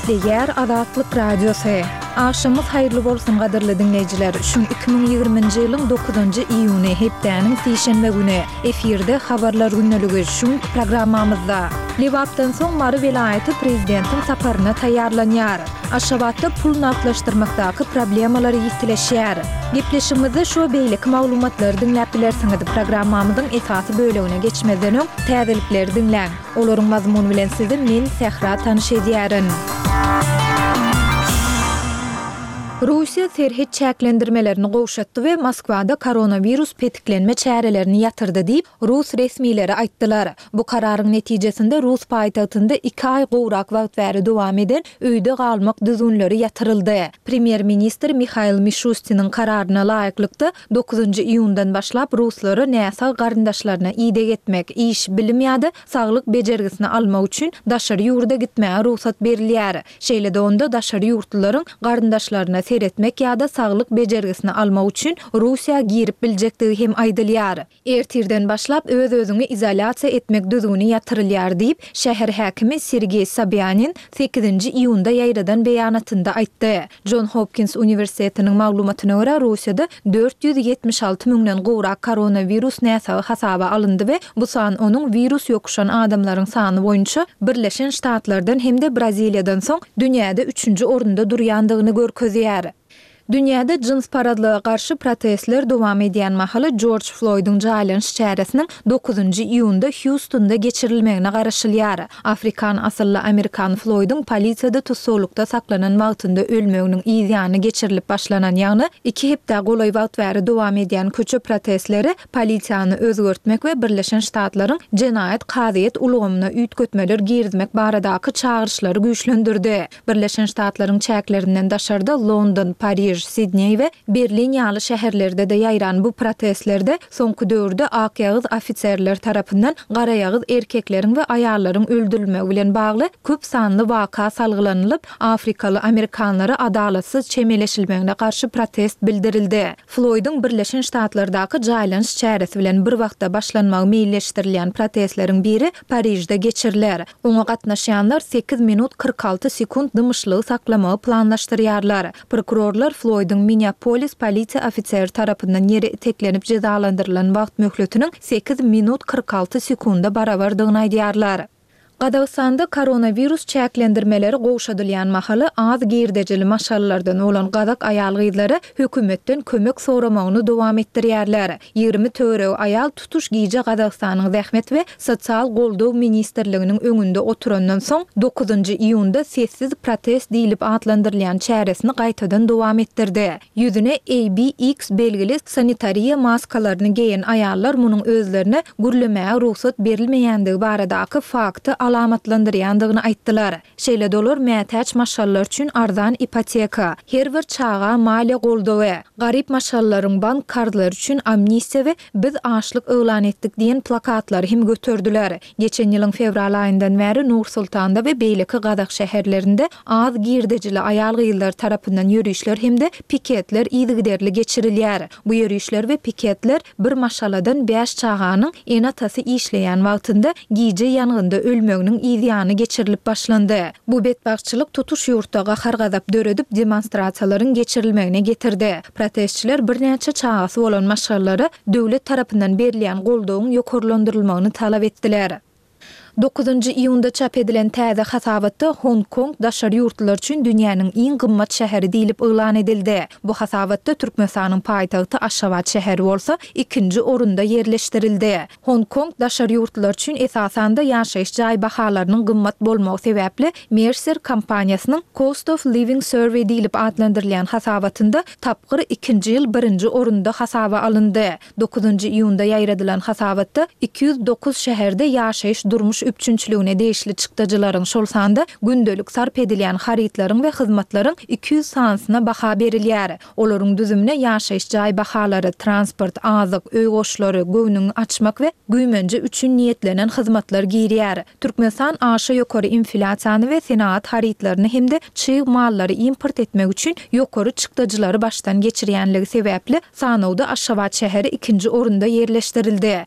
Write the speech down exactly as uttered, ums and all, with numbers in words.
Gepleýär Azatlyk Radiosy. Agşamyňyz haýyrly bolsun gadyrly diňleýjiler. Şu iki müň ýigriminji ýylyň dokuzynjy iýuny, hepdäniň sişenbe güni. Efirde Habarlar gündeligi şu günki programmamyzda. Lebapdan soň Mary welaýaty prezidentiň saparyna taýýarlanýar. Aşgabatda pul nagtlaşdyrmakdaky problemalar ýitileşýär. Gepleşigimizde şu we beýleki maglumatlary diňläp bilersiňiz. Programmamyzyň esasy bölegine geçmezden öň, täzelikleri diňläň. Olaryň mazmuny bilen sizi men, Sähra tanyş edýärin. Russiýa serhet çäklendirmelerini gowşatdy we Moskwada koronawirus petiklenme çärelerini ýatyrdy diýip, rus resmileri aýtdylar. Bu kararyň netijesinde rus paýtagtynda iki aý gowrak wagt bäri dowam eden öýde galmak düzgünleri ýatyryldy. Premýer-ministr Mihail Mişustiniň kararyna laýyklykda, dokuzynjy iýundan başlap ruslara näsag garyndaşlaryna ideg etmek, iş, bilim ýa-da saglyk bejergisini almak üçin daşary ýurda gitmäge rugsat berilýär. Şeýle-de onda daşary ýurtlularyň garyndaşlaryna seretmek ýa-da saglyk bejergisini almak üçin Russiýa girip biljekdigi hem aýdylýar. Ertirden başlap öz-özüňi izolýasiýa etmek düzgüni ýatyrylýar diýip, şäher häkimi Sergeý Sobýanin sekizinji iýunda ýaýradan beýanatynda aýtdy. Jon Hopkins uniwersitetiniň maglumatyna görä, Russiýada dört ýüz ýetmiş alty müňden gowrak koronawirus näsagy hasaba alyndy we bu san onuň wirus ýokuşan adamlaryň sany boýunça Birleşen Ştatlardan hem-de Braziliýadan soň dünýäde üçünji orunda durýandygyny görkezýär. Dünýäde jynsparazlyga garşy protestler dowam edýän mahaly Jorj Floýdyň jaýlanyş çäresiniň dokuzynjy iýunda Hýustonda geçirilmegine garaşylýar. Afrikan asylly amerikan Floýdyň polisiýada tussaglykda saklanan wagtynda ölmeginiň yz ýany geçirilip başlanan, ýagny iki hepdä golaý wagt bäri dowam edýän köçe protestleri polisiýany özgertmek we Birleşen Ştatlaryň jenaýat kazyýet ulgamyna üýtgetmeler girizmek baradaky çagyryşlary güýçlendirdi. Birleşen Ştatlaryň çäklerinden daşarda London, Pariž, Sidneý we Berlin ýaly şäherlerde-de ýaýran bu protestlerde soňky döwürde akýagyz ofiserler tarapyndan garaýagyz erkekleriň we aýallaryň öldürilmegi bilen bagly köp sanly waka salgylanylyp, afrikaly amerikanlara adalatsyz çemeleşilmegine garşy protest bildirildi. Floýdyň Birleşen Ştatlardaky jaýlanyş çäresi bilen bir wagtda başlanmagy meýilleşdirilýän protestleriň biri Parižde geçiriler. Oňa gatnaşýanlar sekiz minut kyrk alty sekunt dymyşlygy saklamagy planlaşdyrýarlar. Prokurorlar Floýdyň Minneapolis polisiýa ofiseri tarapyndan ýere iteklenip jezalandyrylan wagt möhletiniň sekiz minut kyrk alty sekunda barabardygyny aýdýarlar. Gazagystanda koronawirus çäklendirmeleri gowşadylýan mahaly az girdejili maşgalalardan bolan gazak aýal-gyzlary hökümetden kömek soramagyny dowam etdirýärler. Ýigrimi töweregi aýal tutuş gije Gazagystanyň Zähmet we sosial goldaw ministrliginiň öňünde oturandan soň, dokuzynjy iýunda sessiz protest diýlip atlandyrylýan çäresini gaýtadan dowam etdirdi. Ýüzüne A B X belgili sanitariýa maskalaryny geýen aýallar munuň özlerine gürlemäge rugsat berilmeýändigi baradaky fakty alamatlandyrýandygyny aýtdylar. Şeýle-de olar mätäç maşgalalar üçin arzan ipoteka, her bir çaga maliýe goldawy, garyp maşgalalaryň bank karzlary üçin amnistiýa we Biz açlyk yglan etdik diýen plakatlary hem göterdiler. Geçen ýylyň fewral aýyndan bäri Nur-Sultanda we beýleki gazak şäherlerinde az girdejili aýal-gyzlar tarapyndan ýörişler hem-de piketler yzygiderli geçirilýär. Bu ýörişler we piketler bir maşgaladan bäş çaganyň ene-atasy işleýän wagtynda gije ýangynda ölmeginiň yz ýany geçirilip başlandy. Bu betbagtçylyk tutuş ýurtda gahar-gazap döredip, demonstrasiýalaryň geçirilmegine getirdi. Protestçiler birnäçe çagasy bolan maşgalalara döwlet tarapyndan berilýän goldawyň ýokarlandyrylmagyny talap etdiler. Dokuzynjy iýunda çap edilen täze hasabatda Hong-Kong daşary ýurtlular üçin dünýäniň iň gymmat şäheri diýlip yglan edildi. Bu hasabatda Türkmenistanyň paýtagty Aşgabat şäheri bolsa ikinji orunda ýerleşdirildi. Hong-Kong daşary ýurtlular üçin esasan-da ýaşaýyş jaý bahalarynyň gymmat bolmagy sebäpli Mercer kompaniýasynyň Cost of Living Survey diýlip atlandyrylýan hasabatynda tapgyr ikinji ýyl birinji orunda hasaba alyndy. Dokuzynjy iýunda ýaýradylan hasabatda iki ýüz dokuz şäherde ýaşaýyş-durmuş üpjünçiligine degişli çykdajylaryň, şol sanda gündelik sarp edilýän harytlaryň we hyzmatlaryň iki ýüz sanysyna baha berilýär. Olaryň düzümine ýaşaýyş jaý bahalary, transport, azyk, öý goşlary, göwnüňi açmak we güýmenje üçin niýetlenen hyzmatlar girýär. Türkmenistan aşa ýokary inflýasiýany we senagat harytlaryny hem-de çig mallary import etmek üçin ýokary çykdajylary başdan geçirýänligi sebäpli sanawda Aşgabat şäheri ikinji orunda ýerleşdirildi.